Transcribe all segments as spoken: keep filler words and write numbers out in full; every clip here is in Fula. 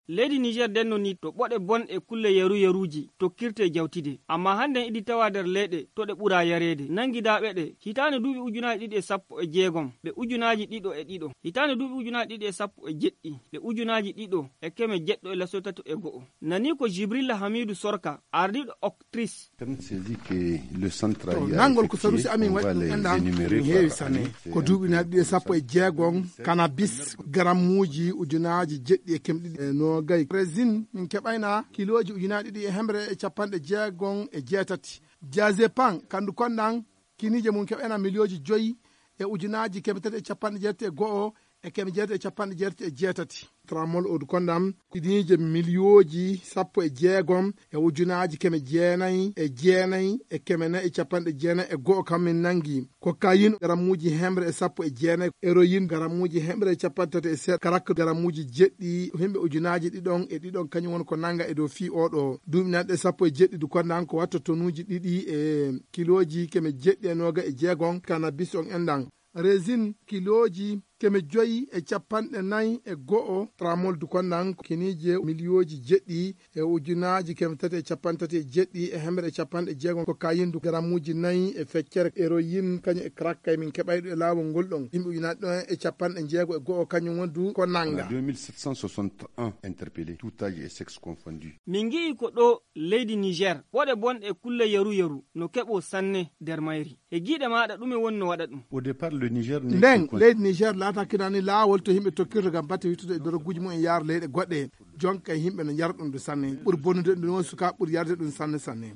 Leydi Niger ndenno nii to ɓoɗe bonɗe e kulle yaru yaruuji tokkirtee jawtide. Ammaa hannden iɗi tawaa nder leyɗe to ɗe ɓuraa yareede. Nanngidaaɓe ɗe, hitaande duuɓi ujunaaji ɗiɗi e sappo e jeegom, ɓe ujunaaji ɗiɗo e ɗiɗo. Hitaande duuɓi ujunaaji ɗiɗi e sappo e jeɗɗi, ɓe ujunaaji ɗiɗo e keme jeɗɗo e laso tato e go'o. Nanii ko Jibrilla Hamiidu Sorka, ardiiɗo Octris, To nanngol ko sarusi amin waɗi ɗum enɗan ɗum heewi sanne. Ko duuɓi naɓi ɗiɗi e sappo e jeegom, kanabis garammuuji ujunaaji jeɗɗi e keme ɗiɗi e noogay. Resin min keɓayna kilooji ujunaaji ɗiɗi e hemre e capanɗe jeegom e jeetati. Jazepan kandu konɗan kiniije mum keɓayna miliyooji joyi e ujunaaji keme tati e capanɗe jeetati e go'o e keme jeetati e capanɗe jeetati e jeetati. Tramol odu kondam kiniije miliyooji sappo e jeegom e ujunaaji keme jeenayi e jeenayi e keme nayi e capanɗe jeenayi e go'o kam min nangi. Kokayin garammuuji hemre e sappo e jeenayi, eroyin garammuuji hemre e capanɗe tati e seeɗa, karak garammuuji jeɗɗi, himɓe ujunaaji ɗiɗon e ɗiɗon kañum woni ko nanga e dow fii oɗo duuɓi nanɗe sappo e jeɗɗi du kondan ko watta tonuuji ɗiɗi e kilooji keme jeɗɗi e nooga e jeegom kanabis on enɗan. Resin kilooji keme joyi e capanɗe nayi e go'o, tramol du kondan kiniije miliyooji jeɗɗi e ujunaaji keme tati e capanɗe tati e jeɗɗi e hemre e capanɗe jeegom, kokayin du garammuuji nayi e feccere, eroyin kañum e crack kay min keɓayɗo e laawol ngol ɗon yimɓe ujunaaji ɗon e capanɗe jeego e go'o kañum woni du ko nanga. deux mille sept cent soixante et un interpellés, tout âge et sexe confondu. Min ngi'i ko ɗo leydi Niger ɓoɗe bonɗe e kulle yaru yaru no keɓoo sanne nder mayri. E giiɗe maaɗa ɗume woni no waɗa ɗum? Au départ, le Niger n'est nden que leydi Niger laatakinani laawol to yimɓe tokkirta ngam batte wittude e doroguuji mum en yaara leyɗe goɗɗe. Jonka e yimɓe no njara ɗum du sanne. Ɓuri bonnude ɗum woni sukaaɓe ɓuri yarde ɗum sanne sanne.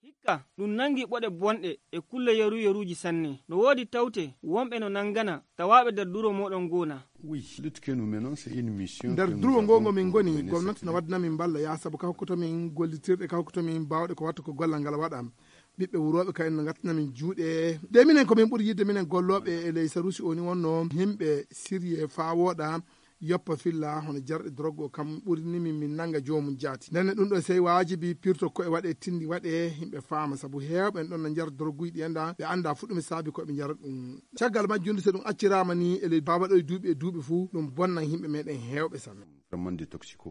Hikka ɗum nangi ɓoɗe bonɗe e kulle yaru yaruuji sanne. No woodi tawte wonɓe no nangana tawaaɓe nder duro mooɗon ngoo na? Oui, lutte que nous menons, c'est une mission nder que durwo nous ngoo avons ngo min ngoni coordonnée gomnati no cette wadda min mballa yaa sabu ka hokkoto min gollitirɗe ka hokkoto min baawɗe ko watta ko gollal ngal waɗa. Ɓiɓɓe wurooɓe kayen no ngattina min juuɗe de minen ko min ɓuri yidde minen gollooɓe e ley sarusi o ni wonno yimɓe sirye faa wooɗa yoppa filla hono jarɗe drogue o kam ɓurini min min nanga joomum jaati ndenne ɗum ɗo sey waajibi pirto koye waɗe tindi waɗe yimɓe faama sabu heewɓe en ɗon no njara droguuji ɗi enda ɓe annda fu ɗum e saabi koɓe njara ɗum. Caggal majjunde so ɗum acciraama ni e ley baabaɗo e duuɓi e duuɓi fuu ɗum bonnan yimɓe meɗen heewɓe sanne. Vraiment des toxico.